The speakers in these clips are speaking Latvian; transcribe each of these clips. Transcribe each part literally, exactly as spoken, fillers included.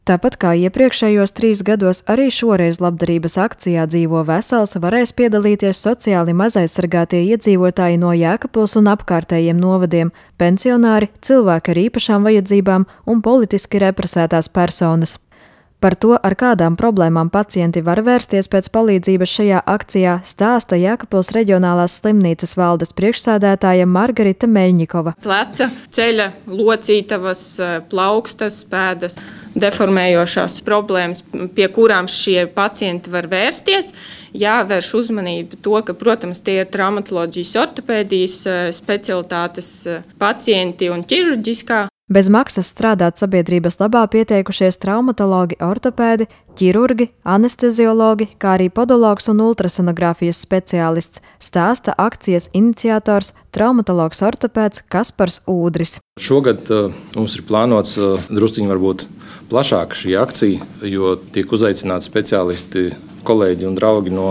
Tāpat kā iepriekšējos trīs gados, arī šoreiz labdarības akcijā Dzīvo vesels varēs piedalīties sociāli mazaizsargātie iedzīvotāji no Jēkabpils un apkārtējiem novadiem, pensionāri, cilvēki ar īpašām vajadzībām un politiski represētās personas. Par to, ar kādām problēmām pacienti var vērsties pēc palīdzības šajā akcijā, stāsta Jēkabpils reģionālās slimnīcas valdes priekšsēdētāja Margarita Meļņikova. Pleca, ceļa, locītavas, plaukstas, pēdas, deformējošās problēmas, pie kurām šie pacienti var vērsties. Jāvērš uzmanība to, ka, protams, tie ir traumatoloģijas, ortopēdijas specialitātes pacienti un ķirurģiskā. Bez maksas strādāt sabiedrības labā pieteikušies traumatologi, ortopēdi, ķirurgi, anesteziologi, kā arī podologs un ultrasonogrāfijas speciālists, stāsta akcijas iniciators traumatologs ortopēds Kaspars Ūdris. Šogad uh, mums ir plānots uh, drusciņi varbūt plašāka šī akcija, jo tiek uzaicināti speciālisti, kolēģi un draugi no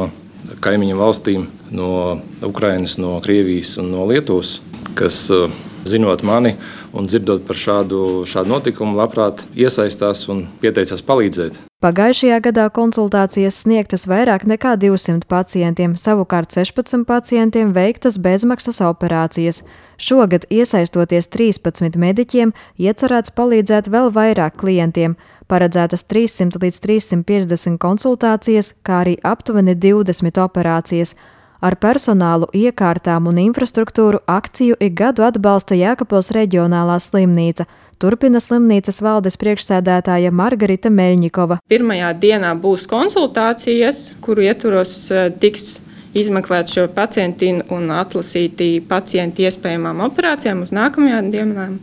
kaimiņu valstīm, no Ukrainas, no Krievijas un no Lietuvas, kas uh, zinot mani un dzirdot par šādu, šādu notikumu, labprāt iesaistās un pieteicās palīdzēt. Pagājušajā gadā konsultācijas sniegtas vairāk nekā divsimt pacientiem, savukārt sešpadsmit pacientiem veiktas bezmaksas operācijas. Šogad, iesaistoties trīspadsmit mediķiem, iecerēts palīdzēt vēl vairāk klientiem. Paredzētas trīssimt līdz trīssimt piecdesmit konsultācijas, kā arī aptuveni divdesmit operācijas. Ar personālu, iekārtām un infrastruktūru akciju ik gadu atbalsta Jēkabpils reģionālā slimnīca, turpina slimnīcas valdes priekšsēdētāja Margarita Meļņikova. Pirmajā dienā būs konsultācijas, kuru ietvaros tiks izmeklēt šo pacienti un atlasīti pacienti iespējamām operācijām uz nākamajām dienām.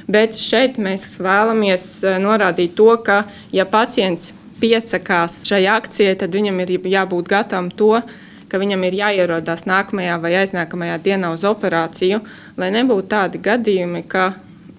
Bet šeit mēs vēlamies norādīt to, ka, ja pacients piesakās šai akcijai, tad viņam ir jābūt gatavam to, ka viņam ir jāierodās nākamajā vai aiznākamajā dienā uz operāciju, lai nebūtu tādi gadījumi, ka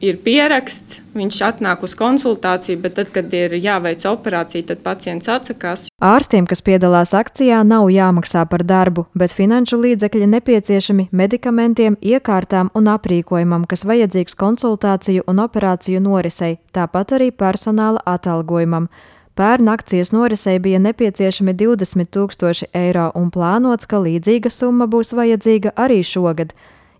ir pieraksts, viņš atnāk uz konsultāciju, bet tad, kad ir jāveic operācija, tad pacients atsakās. Ārstiem, kas piedalās akcijā, nav jāmaksā par darbu, bet finanšu līdzekļi nepieciešami medikamentiem, iekārtām un aprīkojumam, kas vajadzīgs konsultāciju un operāciju norisei, tāpat arī personāla atalgojumam. Pērn akcijas norisei bija nepieciešami divdesmit tūkstoši eiro un plānots, ka līdzīga summa būs vajadzīga arī šogad.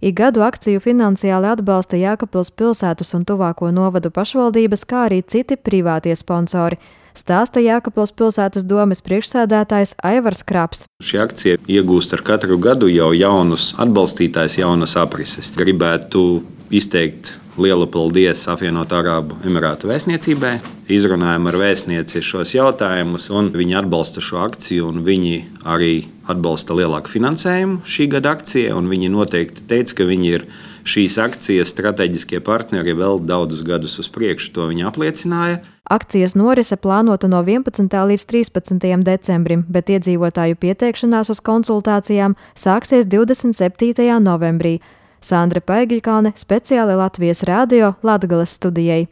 Ik gadu akciju finansiāli atbalsta Jēkabpils pilsētas un tuvāko novadu pašvaldības, kā arī citi privātie sponsori, stāsta Jēkabpils pilsētas domes priekšsēdētājs Aivars Kraps. Šī akcija iegūst ar katru gadu jau jaunus atbalstītājus, jaunas aprises. Gribētu izteikt lielu paldies Apvienoto Arābu Emirātu vēstniecībai. Izrunājām ar vēstnieci šos jautājumus, un viņi atbalsta šo akciju, un viņi arī atbalsta lielāku finansējumu šī gada akcijai, un viņi noteikti teica, ka viņi ir šīs akcijas strateģiskie partneri vēl daudzus gadus uz priekšu. To viņi apliecināja. Akcijas norise plānota no vienpadsmitā līdz trīspadsmitajam decembrim, bet iedzīvotāju pieteikšanās uz konsultācijām sāksies divdesmit septītajā novembrī. Sandra Paigļkalne, speciāli Latvijas radio Latgales studijai.